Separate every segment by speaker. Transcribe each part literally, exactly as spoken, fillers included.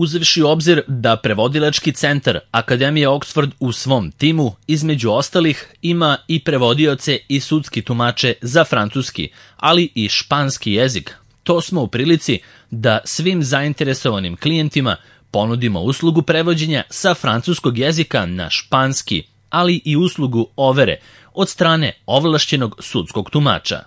Speaker 1: Uzevši u obzir da prevodilački centar Akademije Oxford u svom timu, između ostalih, ima i prevodioce i sudski tumače za francuski, ali i španski jezik, to smo u prilici da svim zainteresovanim klijentima ponudimo uslugu prevođenja sa francuskog jezika na španski, ali i uslugu overe od strane ovlašćenog sudskog tumača.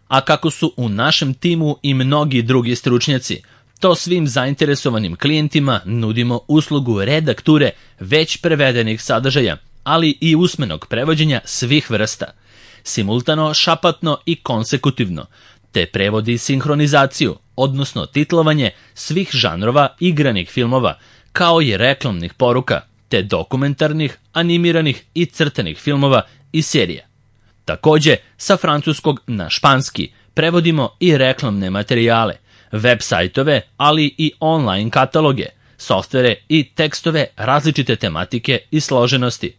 Speaker 1: A kako su u našem timu i mnogi drugi stručnjaci, to svim zainteresovanim klijentima nudimo uslugu redakture već prevedenih sadržaja, ali i usmenog prevođenja svih vrsta, simultano, šapatno i konsekutivno, te prevodi i sinhronizaciju, odnosno titlovanje svih žanrova igranih filmova, kao i reklamnih poruka, te dokumentarnih, animiranih i crtanih filmova i serija. Takođe, sa francuskog na španski prevodimo i reklamne materijale, web sajtove, ali i online kataloge, softvere i tekstove različite tematike i složenosti.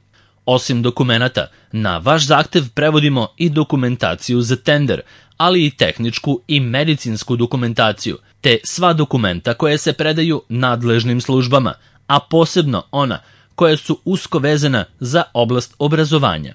Speaker 1: Osim dokumenata, na vaš zahtev prevodimo i dokumentaciju za tender, ali i tehničku i medicinsku dokumentaciju, te sva dokumenta koje se predaju nadležnim službama, a posebno ona koja su usko vezana za oblast obrazovanja.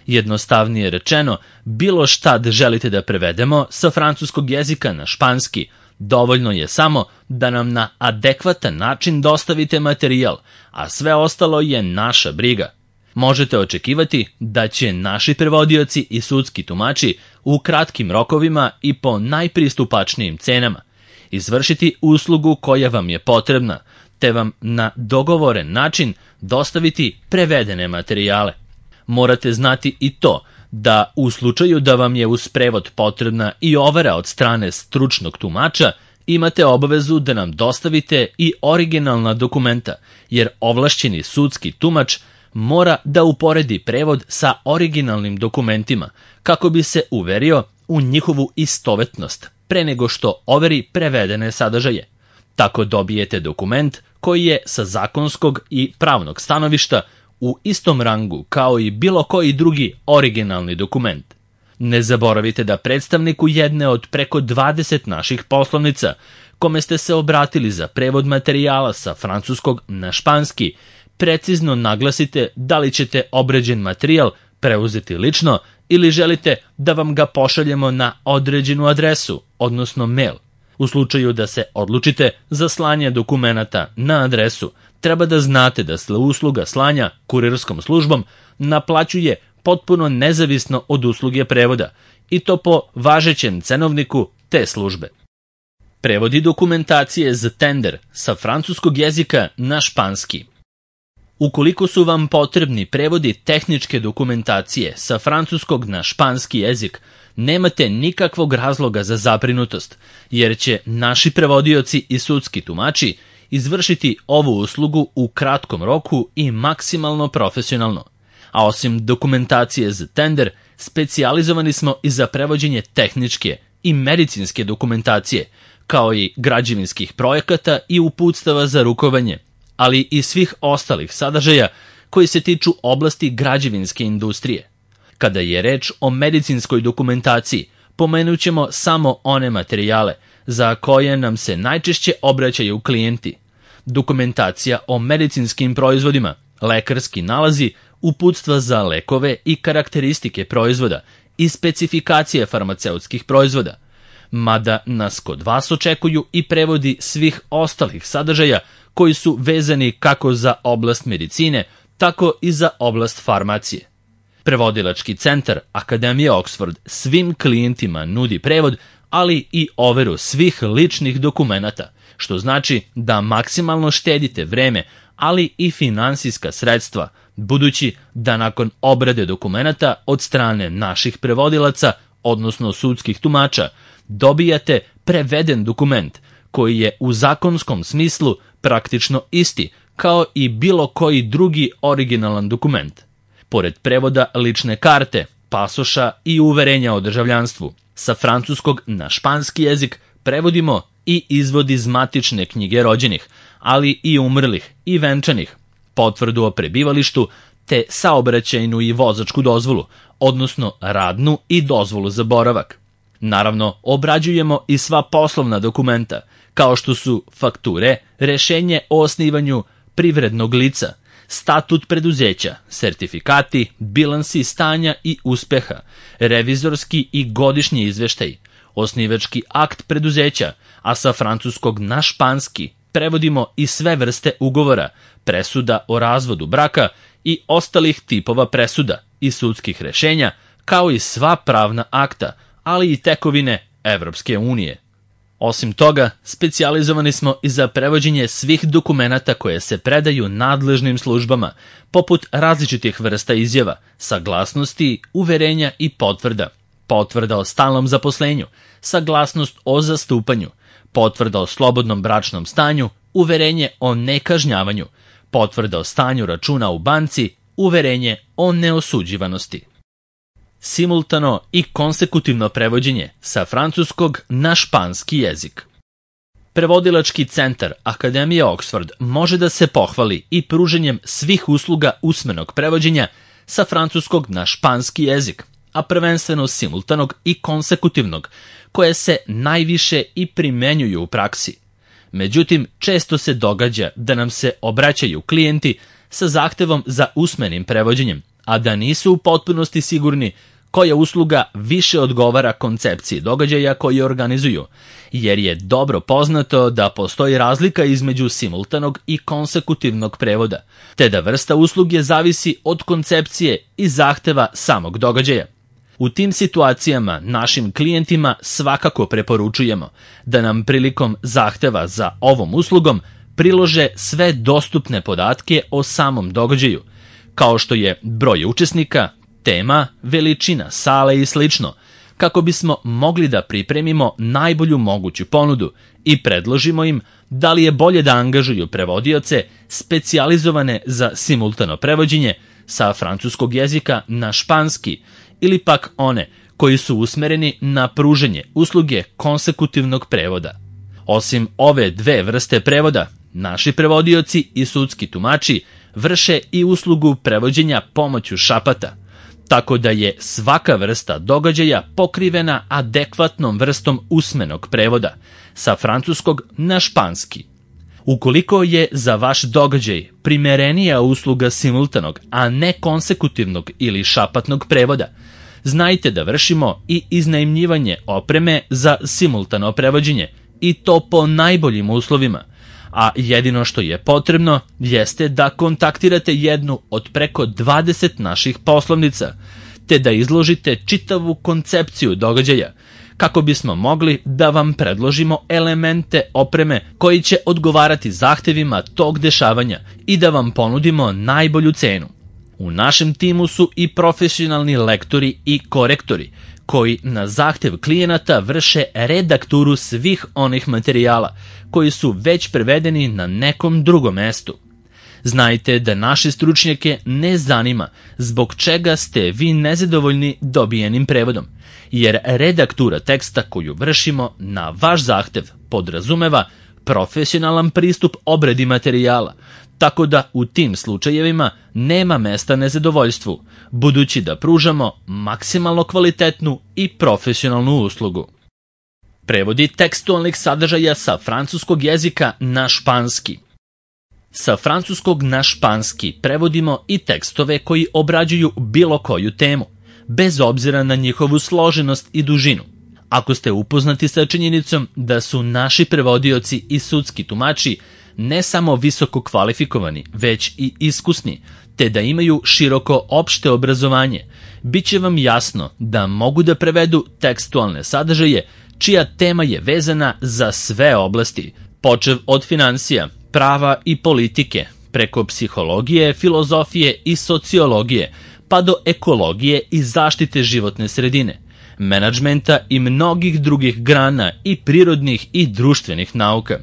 Speaker 1: Jednostavnije rečeno, bilo šta da želite da prevedemo sa francuskog jezika na španski, dovoljno je samo da nam na adekvatan način dostavite materijal, a sve ostalo je naša briga. Možete očekivati da će naši prevodioci i sudski tumači u kratkim rokovima i po najpristupačnijim cenama izvršiti uslugu koja vam je potrebna, te vam na dogovoren način dostaviti prevedene materijale. Morate znati i to da u slučaju da vam je uz prevod potrebna i overa od strane stručnog tumača, imate obavezu da nam dostavite i originalna dokumenta, jer ovlašćeni sudski tumač mora da uporedi prevod sa originalnim dokumentima kako bi se uverio u njihovu istovetnost pre nego što overi prevedene sadržaje. Tako dobijete dokument koji je sa zakonskog i pravnog stanovišta u istom rangu kao i bilo koji drugi originalni dokument. Ne zaboravite da predstavniku jedne od preko dvadeset naših poslovnica, kome ste se obratili za prevod materijala sa francuskog na španski, precizno naglasite da li ćete obrađen materijal preuzeti lično ili želite da vam ga pošaljemo na određenu adresu, odnosno mail. U slučaju da se odlučite za slanje dokumenata na adresu, treba da znate da se usluga slanja kurirskom službom naplaćuje potpuno nezavisno od usluge prevoda, i to po važećem cenovniku te službe. Prevodi dokumentacije za tender sa francuskog jezika na španski. Ukoliko su vam potrebni prevodi tehničke dokumentacije sa francuskog na španski jezik, nemate nikakvog razloga za zabrinutost, jer će naši prevodioci i sudski tumači izvršiti ovu uslugu u kratkom roku i maksimalno profesionalno. A osim dokumentacije za tender, specijalizovani smo i za prevođenje tehničke i medicinske dokumentacije, kao i građevinskih projekata i uputstava za rukovanje, ali i svih ostalih sadržaja koji se tiču oblasti građevinske industrije. Kada je reč o medicinskoj dokumentaciji, pomenut ćemo samo one materijale za koje nam se najčešće obraćaju klijenti. Dokumentacija o medicinskim proizvodima, lekarski nalazi, uputstva za lekove i karakteristike proizvoda i specifikacije farmaceutskih proizvoda. Mada nas kod vas očekuju i prevodi svih ostalih sadržaja koji su vezani kako za oblast medicine, tako i za oblast farmacije. Prevodilački centar Akademije Oxford svim klijentima nudi prevod, ali i overu svih ličnih dokumenata, što znači da maksimalno štedite vreme, ali i finansijska sredstva, budući da nakon obrade dokumenata od strane naših prevodilaca, odnosno sudskih tumača, dobijate preveden dokument koji je u zakonskom smislu praktično isti kao i bilo koji drugi originalan dokument. Pored prevoda lične karte, pasoša i uverenja o državljanstvu, sa francuskog na španski jezik prevodimo i izvod iz matične knjige rođenih, ali i umrlih i venčanih, potvrdu o prebivalištu, te saobraćajnu i vozačku dozvolu, odnosno radnu i dozvolu za boravak. Naravno, obrađujemo i sva poslovna dokumenta, kao što su fakture, rešenje o osnivanju privrednog lica, statut preduzeća, sertifikati, bilansi stanja i uspeha, revizorski i godišnji izveštaj, osnivački akt preduzeća, a sa francuskog na španski prevodimo i sve vrste ugovora, presuda o razvodu braka i ostalih tipova presuda i sudskih rešenja, kao i sva pravna akta, ali i tekovine Evropske unije. Osim toga, specijalizovani smo i za prevođenje svih dokumenata koje se predaju nadležnim službama, poput različitih vrsta izjava, saglasnosti, uverenja i potvrda, potvrda o stalnom zaposlenju, saglasnost o zastupanju, potvrda o slobodnom bračnom stanju, uverenje o nekažnjavanju, potvrda o stanju računa u banci, uverenje o neosuđivanosti. Simultano i konsekutivno prevođenje sa francuskog na španski jezik. Prevodilački centar Akademije Oxford može da se pohvali i pruženjem svih usluga usmenog prevođenja sa francuskog na španski jezik, a prvenstveno simultanog i konsekutivnog, koje se najviše i primenjuju u praksi. Međutim, često se događa da nam se obraćaju klijenti sa zahtevom za usmenim prevođenjem, a da nisu u potpunosti sigurni koja usluga više odgovara koncepciji događaja koji organizuju, jer je dobro poznato da postoji razlika između simultanog i konsekutivnog prevoda, te da vrsta usluge zavisi od koncepcije i zahteva samog događaja. U tim situacijama našim klijentima svakako preporučujemo da nam prilikom zahteva za ovom uslugom prilože sve dostupne podatke o samom događaju, kao što je broj učesnika, tema, veličina sale i slično, kako bismo mogli da pripremimo najbolju moguću ponudu i predložimo im da li je bolje da angažuju prevodioce specijalizovane za simultano prevođenje sa francuskog jezika na španski ili pak one koji su usmereni na pruženje usluge konsekutivnog prevoda. Osim ove dve vrste prevoda, naši prevodioci i sudski tumači vrše i uslugu prevođenja pomoću šapata, tako da je svaka vrsta događaja pokrivena adekvatnom vrstom usmenog prevoda sa francuskog na španski. Ukoliko je za vaš događaj primerenija usluga simultanog, a ne konsekutivnog ili šapatnog prevoda, znajte da vršimo i iznajmljivanje opreme za simultano prevođenje i to po najboljim uslovima, a jedino što je potrebno jeste da kontaktirate jednu od preko dvadeset naših poslovnica, te da izložite čitavu koncepciju događaja, kako bismo mogli da vam predložimo elemente opreme koji će odgovarati zahtevima tog dešavanja i da vam ponudimo najbolju cenu. U našem timu su i profesionalni lektori i korektori, koji na zahtev klijenata vrše redakturu svih onih materijala koji su već prevedeni na nekom drugom mestu. Znajte da naše stručnjake ne zanima zbog čega ste vi nezadovoljni dobijenim prevodom, jer redaktura teksta koju vršimo na vaš zahtev podrazumeva profesionalan pristup obradi materijala, tako da u tim slučajevima nema mesta nezadovoljstvu, budući da pružamo maksimalno kvalitetnu i profesionalnu uslugu. Prevodi tekstualnih sadržaja sa francuskog jezika na španski. Sa francuskog na španski prevodimo i tekstove koji obrađuju bilo koju temu, bez obzira na njihovu složenost i dužinu. Ako ste upoznati sa činjenicom da su naši prevodioci i sudski tumači ne samo visoko kvalifikovani, već i iskusni, te da imaju široko opšte obrazovanje, bit će vam jasno da mogu da prevedu tekstualne sadržaje čija tema je vezana za sve oblasti, počev od finansija, prava i politike, preko psihologije, filozofije i sociologije, pa do ekologije i zaštite životne sredine, menadžmenta i mnogih drugih grana i prirodnih i društvenih nauka.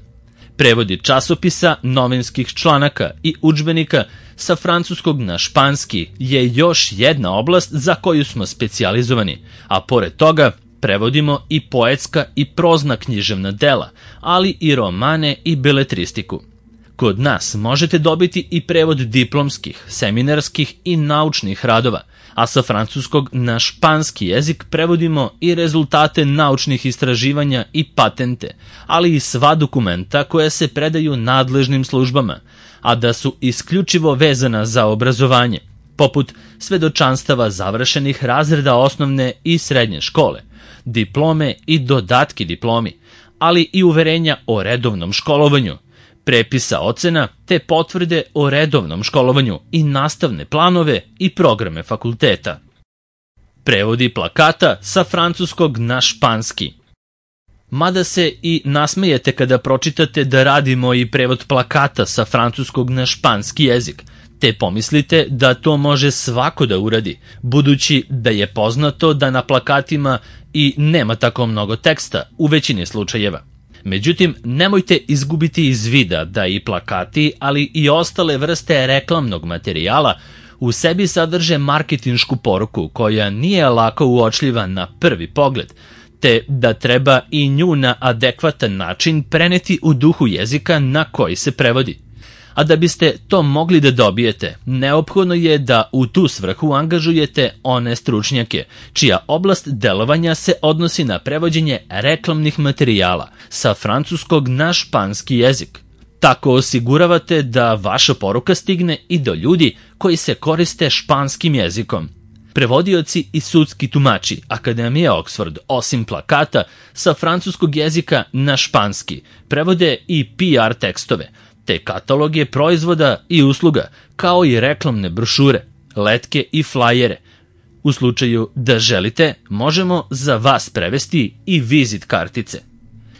Speaker 1: Prevodi časopisa, novinskih članaka i udžbenika sa francuskog na španski je još jedna oblast za koju smo specijalizovani, a pored toga prevodimo i poetska i prozna književna dela, ali i romane i beletristiku. Kod nas možete dobiti i prevod diplomskih, seminarskih i naučnih radova, a sa francuskog na španski jezik prevodimo i rezultate naučnih istraživanja i patente, ali i sva dokumenta koja se predaju nadležnim službama, a da su isključivo vezana za obrazovanje, poput svedočanstava završenih razreda osnovne i srednje škole, diplome i dodatki diplomi, ali i uverenja o redovnom školovanju, prepisa ocena te potvrde o redovnom školovanju i nastavne planove i programe fakulteta. Prevodi plakata sa francuskog na španski. Mada se i nasmejete kada pročitate da radimo i prevod plakata sa francuskog na španski jezik, te pomislite da to može svako da uradi, budući da je poznato da na plakatima i nema tako mnogo teksta u većini slučajeva. Međutim, nemojte izgubiti iz vida da i plakati, ali i ostale vrste reklamnog materijala u sebi sadrže marketinšku poruku koja nije lako uočljiva na prvi pogled, te da treba i nju na adekvatan način preneti u duhu jezika na koji se prevodi. A da biste to mogli da dobijete, neophodno je da u tu svrhu angažujete one stručnjake, čija oblast delovanja se odnosi na prevođenje reklamnih materijala sa francuskog na španski jezik. Tako osiguravate da vaša poruka stigne i do ljudi koji se koriste španskim jezikom. Prevodioci i sudski tumači Akademije Oxford, osim plakata, sa francuskog jezika na španski prevode i P R tekstove, te kataloge proizvoda i usluga, kao i reklamne brošure, letke i flajere. U slučaju da želite, možemo za vas prevesti i vizit kartice.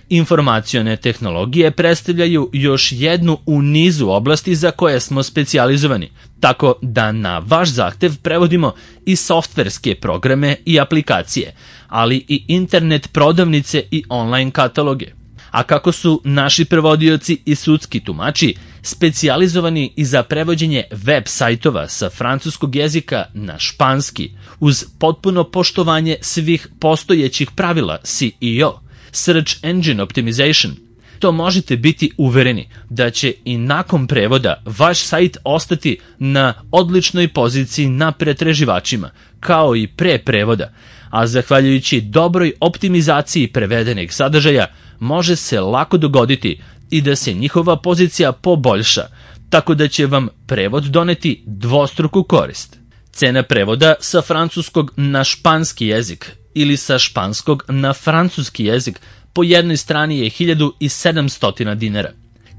Speaker 1: Informacione tehnologije predstavljaju još jednu u nizu oblasti za koje smo specijalizovani, tako da na vaš zahtev prevodimo i softverske programe i aplikacije, ali i internet prodavnice i online kataloge. A kako su naši prevodioci i sudski tumači specijalizovani i za prevođenje web sajtova sa francuskog jezika na španski, uz potpuno poštovanje svih postojećih pravila S E O, Search Engine Optimization, to možete biti uvereni da će i nakon prevoda vaš sajt ostati na odličnoj poziciji na pretraživačima, kao i pre prevoda, a zahvaljujući dobroj optimizaciji prevedenih sadržaja može se lako dogoditi i da se njihova pozicija poboljša, tako da će vam prevod doneti dvostruku korist. Cena prevoda sa francuskog na španski jezik ili sa španskog na francuski jezik po jednoj strani je hiljadu sedamsto dinara.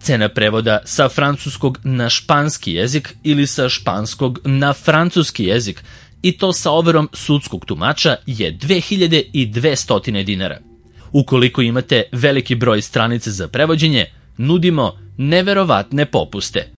Speaker 1: Cena prevoda sa francuskog na španski jezik ili sa španskog na francuski jezik, i to sa overom sudskog tumača, je dve hiljade dvesta dinara. Ukoliko imate veliki broj stranica za prevođenje, nudimo neverovatne popuste.